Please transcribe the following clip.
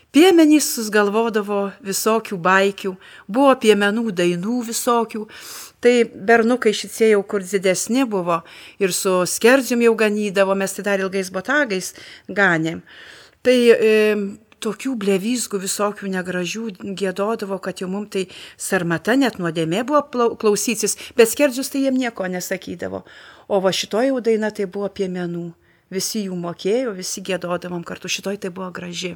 Piemenys susgalvodavo visokių baikių, buvo piemenų dainų visokių. Tai bernukai šitie jau kur didesni buvo ir su skerdzium jau ganydavo, mes tai dar ilgais botagais ganėm. Tai tokių blevyzgų visokių negražių giedodavo, kad jau mums tai sarmata net nuodėmė buvo klausytis, bet skerdžius tai jiem nieko nesakydavo. O va šitoj jau daina tai buvo piemenų. Visi jų mokėjo, visi giedodavom kartu, šitoj tai buvo graži.